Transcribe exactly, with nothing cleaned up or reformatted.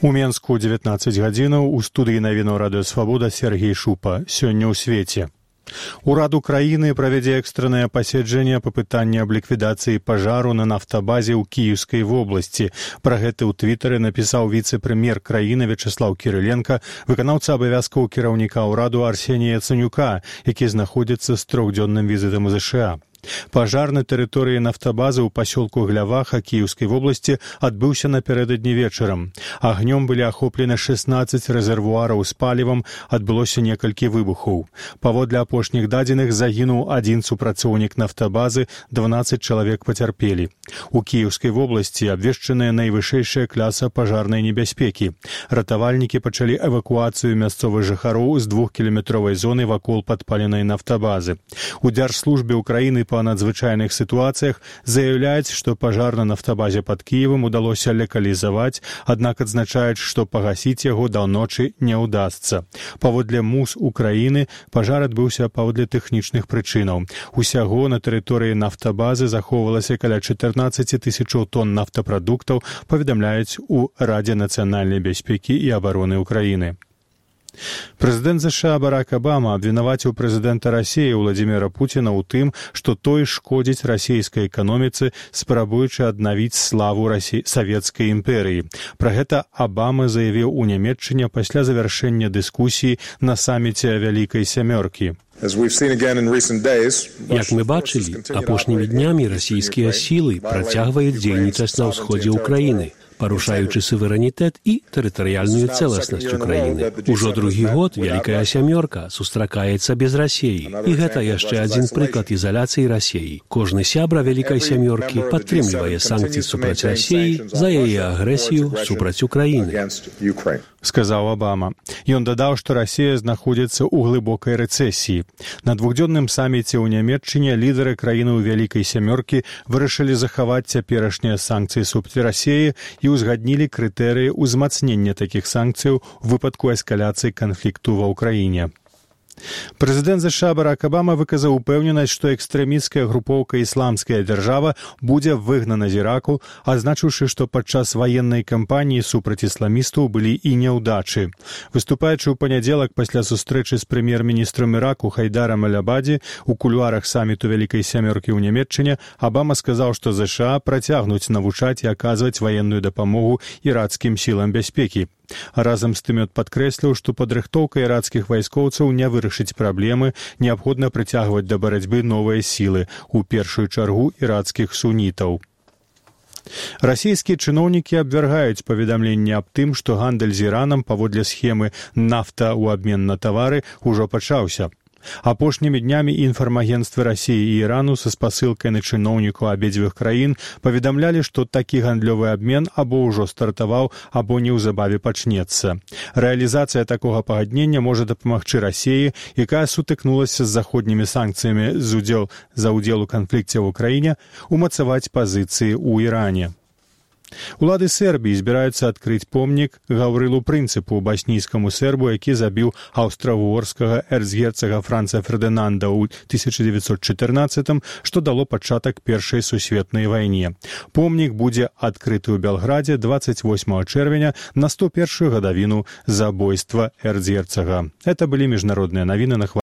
У Менску дзевятнаццаць гадзінаў, у студыі навінаў радыё Свабода Сергей Шупа. Сёння ў свеце. Урад Украіны правядзе экстраннае паседжанне па пытанні аб ліквідацыі пажару на нафтабазе ў Кіеўскай вобласці. Пра гэта ў твітары напісаў віцэ-прэм'ер краіны Вячеслав Кіриленко, выканаўца абавязкаў кіраўніка ўраду Арсенія Яценюка, які знаходзіцца з трохдзённым візітам у ЗША. Пажар на тэрыторыі нафтабазы ў пасёлку Гляваха Кіеўскай вобласці адбыўся напярэдадні вечарам. Агнём былі ахоплены шэснаццаць рэзервуараў з палівам, адбылося некалькі выбухаў. Паводле апошніх дадзеных загінуў адзін супрацоўнік нафтабазы, дванаццаць чалавек пацярпелі. У Кіеўскай вобласці абвешчаная найвышэйшая класа пажарнай небяспекі. Ратавальнікі пачалі эвакуацыю мясцовых жыхароў з двухкіламетровай зоны вакол падпаленай нафтабазы. У Дзяржслужбе Украіны па надзвычайных сітуацыях заяўляюць, што пажар на нафтабазе пад Кіевам удалося лакалізаваць, аднак адзначаюць, што пагасіць яго да ночы не ўдасца. Паводле МУС Украіны пажар адбыўся паводле тэхнічных прычынаў. Усяго на тэрыторыі нафтабазы захоўвалася каля чатырнаццаць тысячаў тонн нафтапрадуктаў, паведамляюць у Радзе нацыянальнай бяспекі і абароны Украіны. Прэзідэнт ЗША Барак Абама абвінаваціў прэзідэнта Расіі Владзіміра Пуціна ў тым, што той шкодзіць расійскай эканоміцы, спрабуючы аднавіць славу Расі... савецкай імперыі. Пра гэта Абама заявіў у Нямецчыне пасля завяршэння дыскусіі на саміце Вялікай сямёркі. Як мы бачылі, апошнімі днямі расійскія сілы працягваюць дзейнічаць на ўсходзе ўкраіны, парушаючы суверэнітэт і тэрытарыяльную цэласнасць Украіны. Ужо другі год Вялікая сямёрка сустракаецца без Расіі. І гэта яшчэ адзін прыклад ізаляцыі Расіі. Кожны сябра Вялікай сямёркі падтрымлівае санкцыі супраць Расіі за яе агрэсію супраць Украіны. Сказаў Абама. Ён дадаў, што Расія знаходзіцца ў глыбокай рэцэсіі. На двухдзённым саміце ў Нямецчыне лідары краіны ў Вялікай сямёркі вырашылі захаваць цяперашнія санкцыі супраць Расіі і ўзгаднілі крытэрыі ўзмацнення такіх санкцыяў у выпадку эскаляцыі канфлікту ва ўкраіне. Прэзідэнт ЗША Барак Абама выказаў упэўненасць, што экстрэмісцкая групоўка «Ісламская дзяржава» будзе выгнана з Іраку, адзначыўшы, што падчас ваеннай кампаніі супраць ісламістаў былі і няўдачы. Выступаючы ў панядзелак пасля сустрэчы з прэм'ер-міністрам Іраку Хайдарам аль-Абаді у кулуарах саміту Вялікай сямёркі ў Нямецчыне, Абама сказаў, што ЗША працягнуць навучаць і аказваць ваенную дапамогу ірацкім сілам бяспекі. Разам з тым ён падкрэсліў, што падрыхтоўка ірацкіх вайскоўцаў не вырашыць праблемы, неабходна прыцягваць да барацьбы новыя сілы, у першую чаргу ірацкіх сунітаў. Расійскія чыноўнікі абвяргаюць паведамленне аб тым, што гандаль з Іранам паводле схемы «нафта ў абмен на тавары» ужо пачаўся. Апошнімі днямі інфармагенцтвы Расіі і Ірану са спасылкай на чыноўнікаў абедзвюх краін паведамлялі, што такі гандлёвы абмен або ўжо стартаваў, або неўзабаве пачнецца. Рэалізацыя такога пагаднення можа дапамагчы Расіі, якая сутыкнулася з заходнімі санкцыямі з удзел, за ўдзел у канфлікце ў Украіне, умацаваць пазіцыі ў Іране. Улады Сербіі збіраюцца адкрыць помнік Гаўрылу Прынцыпу, баснійскаму сербу, які забіў аўстра-угорскага эрцгерцага Франца Фердынанда ў тысяча дзевяцьсот чатырнаццатым, што дало пачатак Першай сусветнай вайне. Помнік будзе адкрыты ў Белградзе дваццаць восьмага чэрвеня на сто першую гадавіну забойства эрцгерцага. Это былі міжнародныя навіны на